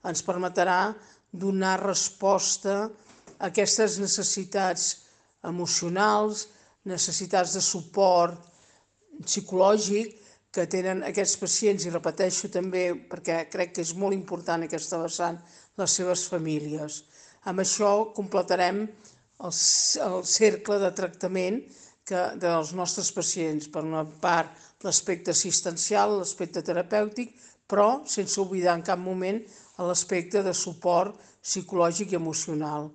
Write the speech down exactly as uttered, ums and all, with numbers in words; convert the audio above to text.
ens permetrà donar resposta a aquestes necessitats emocionals, necessitats de suport psicològic que tenen aquests pacients, i repeteixo també perquè crec que és molt important aquesta vessant, les seves famílies. Amb això completarem el, el cercle de tractament que, dels nostres pacients. Per una part, l'aspecte assistencial, l'aspecte terapèutic, però sense oblidar en cap moment l'aspecte de suport psicològic i emocional.